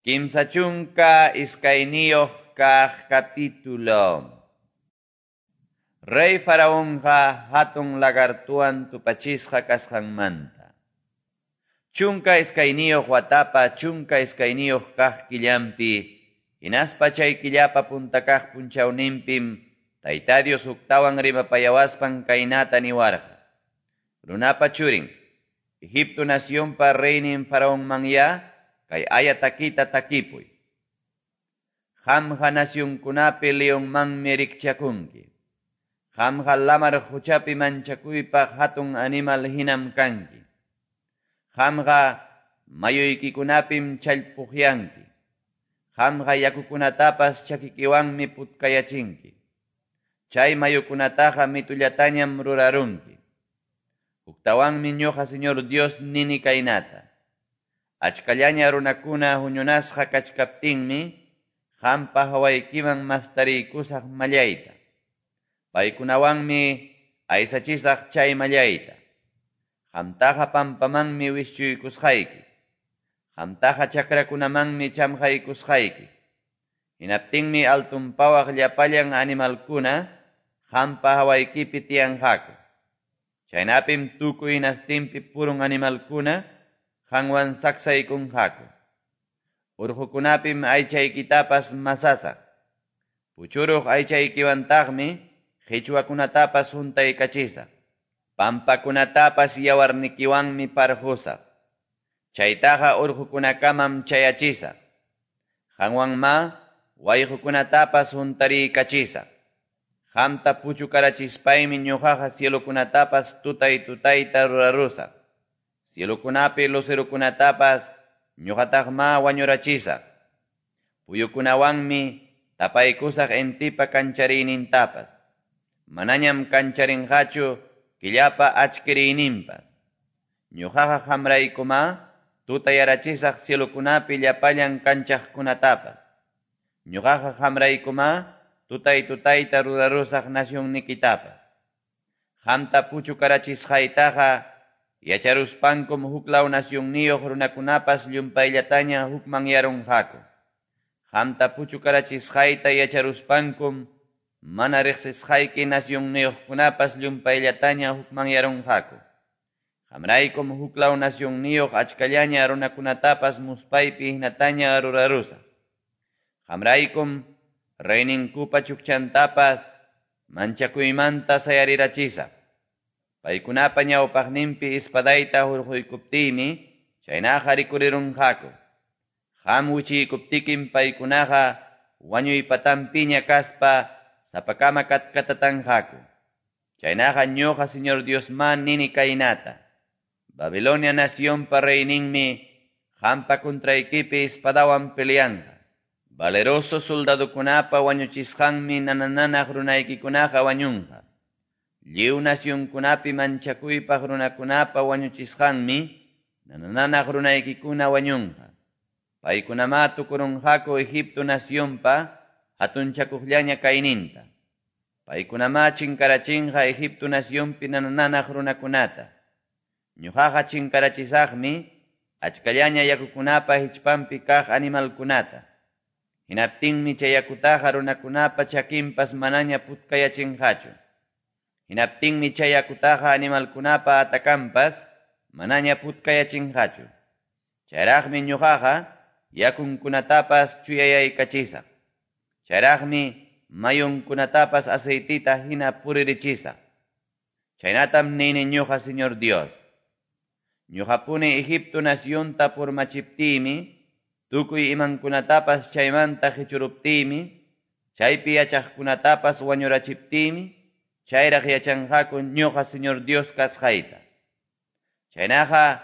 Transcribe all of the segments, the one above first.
32 kaq capítulo. Rey Faraonqa hatun lagartuwan tupachisqa kasqanmanta. 12 watapa 12 kaq killampi, hinaspa chay killapa punta kaq punchawninpim, Tayta Dios huktawan rimapayawaspan kaynata niwarqa. Runapa churin, Egipto nacionpa reynin Faraonmanya, kay aya takita takipuy. Qamqa nacionkunapi leonmanmi rikchakunki. Qamqa lamar quchapi manchakuypaq hatun animal hinam kanki. Qamqa mayuykikunapim challpuqyanki. Qamqa yakukunatapas chakikiwanmi putkayachinki. Chay mayukunataqa mitullatañam rurarunki. Huktawanmi ñuqa Señor Dios nini kaynata. Achkallaña runakuna huñunasqa kachkaptinmi, qampa hawaykiman mastariykusaq mallayta. Paykunawanmi aysachisaq chay mallayta. Qamtaqa pampamanmi wischuykusqayki. Qamtaqa chakrakunamanmi chamqaykusqayki. Hinaptinmi altunpawaq llapallan animalkuna qampa hawaykipi tiyanqaku. Chaynapim tukuy hinastinpi purun animalkuna qanwan saksaykunqaku. Urqukunapim aychaykitapas masasaq. Puchuruq aychaykiwantaqmi qichwakunatapas huntaykachisaq. Pampakunatapas yawarnikiwanmi parqusaq. Chaytaqa urqukunakamam chayachisaq. Qanwanmá wayqukunatapas huntariykachisaq. Qamta puchukarachispaymi ñuqaqa cielokunatapas tutay tutayta rurarusaq. Cielokunapi lucerokunatapas ñuqataqmá wañurachisaq. Puyukunawanmi tapaykusaq intipa kanchariynintapas. Manañam kancharinqachu killapa achkiriyninpas. Ñuqaqa qamraykumá tutayarachisaq cielokunapi llapallan kanchaqkunatapas. Ñuqaqa qamraykumá tutay tutayta rurarusaq nacionnikitapas. Qamta puchukarachisqaytaqa yacharuspankum huklaw nacionniyuq runakunapas llumpayllataña hukmanyarunqaku. Qamta puchukarachisqayta yacharuspankum mana riqsisqayki nacionniyuqkunapas llumpayllataña hukmanyarunqaku. Qamraykum huklaw nacionniyuq achkallaña runakunatapas muspaypi hinataña rurarusaq. Qamraykum reyninkupa chukchantapas manchakuymanta sayarirachisaq. Paykunapa ñawpaqninpi espadayta hurquykuptiymi chaynaqa rikurirunqaku. Qam wichiykuptikim paykunaqa wañuypatanpiña kaspa sapakama katkatatanqaku. Chaynaqa ñuqa Señor Diosmá nini kaynata. Babilonia nacionpa reyninmi qampa contraykipi espadawan peleanqa. Valeroso soldadokunapa wañuchisqanmi nanananaq runaykikunaqa wañunqa. Lliw nacionkunapi manchakuypaq runakunapa wañuchisqanmi nanananaq runaykikuna wañunqa. Paykunamá tukurunqaku Egipto nacionpa hatunchakuqllaña kayninta. Paykunamá chinkarachinqa Egipto nacionpi nanananaq runakunata. Ñuqaqa chinkarachisaqmi achkallaña yakukunapa hichpanpi kaq animalkunata. Hinaptinmi chay yakutaqa runakunapa chakinpas manaña putkayachinqachu. Hinaptinmi chay yakutaqa animalkunapa atakanpas manaña putkayachinqachu. Chayraqmi ñuqaqa yakunkunatapas chuyayaykachisaq. Chayraqmi mayunkunatapas aceitita hina puririchisaq. Chaynatam nini ñuqa Señor Dios. Ñuqapuni Egipto nacionta purmachiptiymi, tukuy imankunatapas chaymanta qichuruptiymi, chaypi yachaqkunatapas wañurachiptiymi, chayraq yachanqaku ñuqa Señor Dios kasqayta. Chaynaqa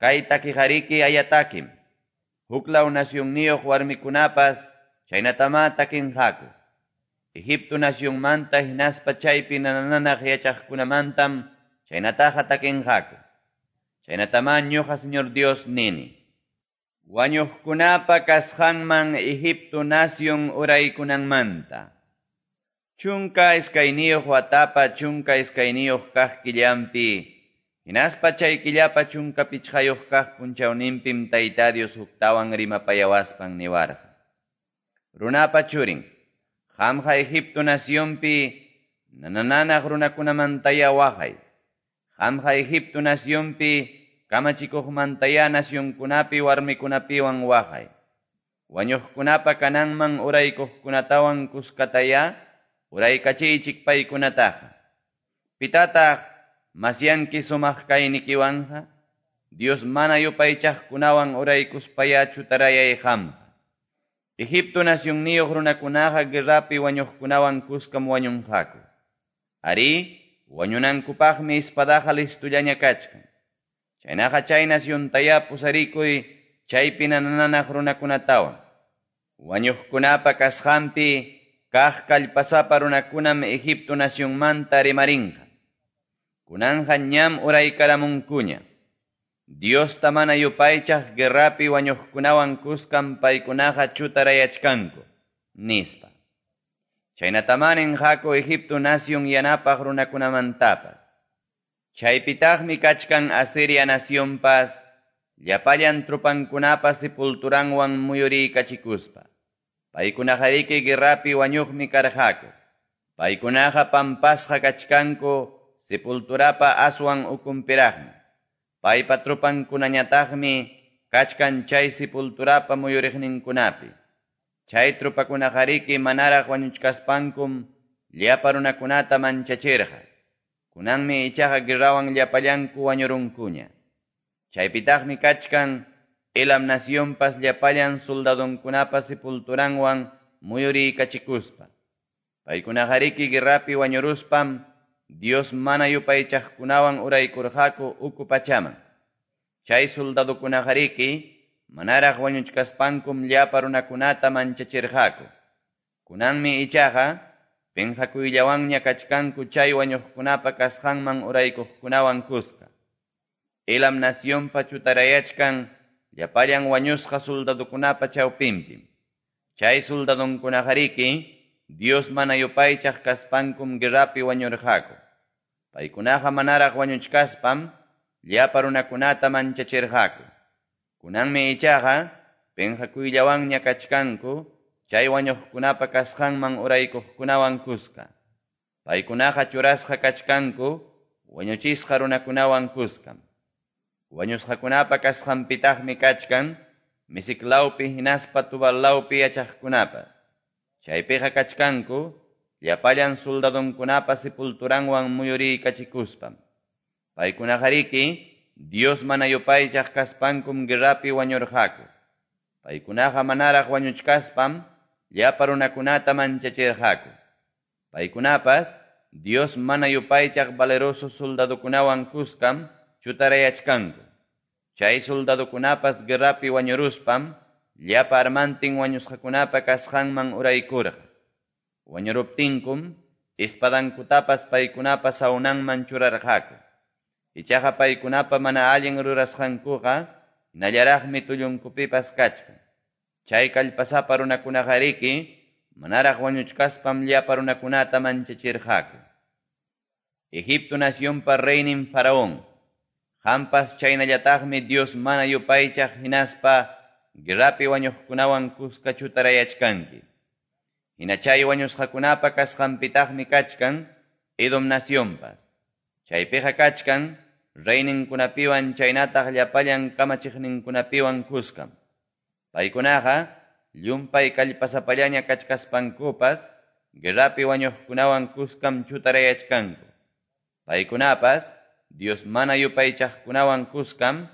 kay takiqariki ayatakim. Huklaw nacionniyuq warmikunapas chaynatamá takinqaku. Egipto nacionmanta hinaspa chaypi nanananaq yachaqkunamantam chaynataqa takinqaku. Chaynatamá ñuqa Señor Dios nini. Wañuqkunapa kasqanman Egipto nacion uraykunanmanta. 12 watapa 12 kaq killampi, Hinaspa chay killapa 15 kaq punchawninpim Tayta Dios huktawan rimapayawaspan niwarqa. Runapa churin, qamqa Egipto nacionpi nanananaq runakunamantaya waqay. Qamqa Egipto nacionpi kamachikuqmantaya nacionkunapi warmikunapiwan waqay. Wañuqkunapa kananman uraykuqkunatawan kuskataya uraykachiychik paykunataqa. Pitataq masyanki sumaq kaynikiwanqa, Dios mana yupaychaqkunawan uraykuspaya chutarayay qamqa. Egipto nacionniyuq runakunaqa guerrapi wañuqkunawan kuskam wañunqaku. Arí, wañunankupaqmi espadaqa listullaña kachkan. Chaynaqa chay naciontaya pusarikuy chaypi nananaq runakunatawan. Wañuqkunapa kasqanpi kaq kallpasapa runakunam Egipto nacionmanta rimarinqa. Kunanja ñam uraykaramunkuña. Diosta mana yupaychaq guerrapi wañuqkunawan kuskam paykunaqa chutarayachkanku, nispa. Chaynatamá ninqaku Egipto nación yanapaq runakunamantapas. Chaypitaqmi kachkan Asiria nacionpas, llapallan tropankunapa sepulturanwan muyuriykachikuspa. Paykunaqariki guerrapi wañuqmi karqaku. Paykunaqa pampasqa kachkanku sepulturapa aswan ukunpiraqmi. Paypa tropankunañataqmi kachkan chay sepulturapa muyuriqninkunapi. Chay tropakunaqariki manaraq wañuchkaspankum llapa runakunata manchachirqa. Kunanmi ichaqa guerrawan llapallanku wañurunkuña. Chaypitaqmi kachkan Elam nacionpas llapallan soldadonkunapa sepulturanwan muyuriykachikuspa. Paykunaqariki guerrapi wañuruspam Dios mana yupaychaqkunawan uraykurqaku uku pachaman. Chay soldadokunaqariki manaraq wañuchkaspankum llapa runakunata manchachirqaku. Kunanmi ichaqa pinqakuyllawanña kachkanku chay wañuqkunapa kasqanman uraykuqkunawan kuska. Elam nacionpa chutarayachkan llapallan wañusqa soldadokunapa chawpinpim. Chay soldadonkunaqariki Dios mana yupaychaq kaspankum guerrapi wañurqaku. Paykunaqa manaraq wañuchkaspam llapa runakunata manchachirqaku. Kunanmi ichaqa pinqakuyllawanña kachkanku chay wañuqkunapa kasqanman uraykuqkunawan kuska. Paykunaqa churasqa kachkanku wañuchisqa runakunawan kuskam. Wañusqakunapa kasqanpitaqmi kachkan Mesec lawpi hinaspa Tubal lawpi yachaqkunapas. Chaypiqa kachkanku llapallan soldadonkunapa sepulturanwan muyuriykachikuspam. Paykunaqariki Dios mana yupaychaq kaspankum guerrapi wañurqaku. Paykunaqa manaraq wañuchkaspam llapa runakunata manchachirqaku. Paykunapas Dios mana yupaychaq valeroso soldadokunawan kuskam chutarayachkanku. Chay soldadokunapas guerrapi wañuruspam llapa armantin wañusqakunapa kasqanman uraykurqa. Wañuruptinkum espadankutapas paykunapa sawnanman churarqaku. Ichaqa paykunapa mana allin rurasqankuqa hinallaraqmi tullunkupipas kachkan. Chay kallpasapa runakunaqariki manaraq wañuchkaspam llapa runakunata manchachirqaku. Egipto nacionpa reynin Faraón, qampas chaynallataqmi Dios mana yupaychaq hinaspa guerrapi wañuqkunawan kuska chutarayachkanki. Hina chay wañusqakunapa kasqanpitaqmi kachkan Edom nacionpas. Chaypiqa kachkan reyninkunapiwan chaynataq llapallan kamachiqninkunapiwan kuskam. Paykunaqa llumpay kallpasapallaña kachkaspankupas guerrapi wañuqkunawan kuskam chutarayachkanku. Paykunapas Dios mana yupaychaqkunawan kuskam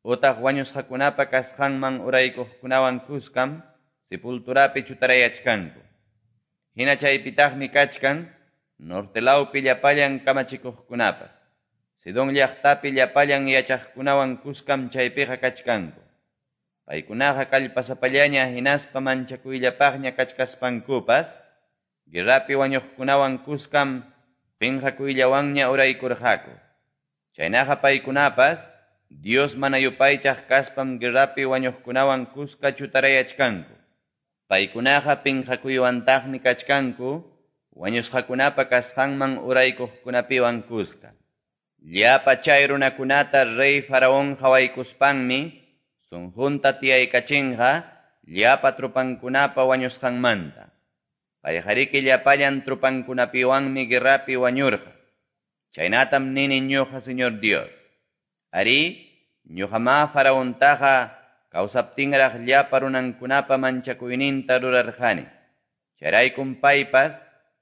utaq wañusqakunapa kasqanman uraykuqkunawan kuskam sepulturapi chutarayachkanku. Hina chaypitaqmi kachkan norte lawpi llapallan kamachikuqkunapas. Sidón llaqtapi llapallan yachaqkunawan kuskam chaypiqa kachkanku. Paykunaqa kallpasapallaña hinaspa manchakuyllapaqña kachkaspankupas guerrapi wañuqkunawan kuskam pinqakuyllawanña uraykurqaku. Chaynaqa paykunapas Dios mana yupaychaq kaspam guerrapi wañuqkunawan kuska chutarayachkanku. Paykunaqa pinqakuywantaqmi kachkanku wañusqakunapa kasqanman uraykuqkunapiwan kuska. Llapa chay runakunata rey Faraón qawaykuspanmi sunqunta tiyaykachinqa llapa tropankunapa wañusqanmanta. Payqariki llapallan tropankunapiwanmi guerrapi wañurqa. Chaynatam nini ñuqa Señor Dios. Arí, ñuqamá Faraontaqa kawsaptinraq llapa runankunapa manchakuyninta rurarqani. Chayraykum paypas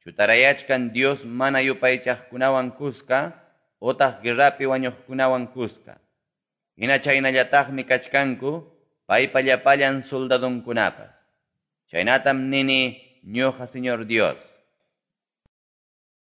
chutarayachkan Dios mana yupaychaqkunawan kuska otaq guerrapi wañuqkunawan kuska. Hina chaynallataqmi kachkanku paypa llapallan soldadonkunapas. Chaynatam nini ñuqa Señor Dios.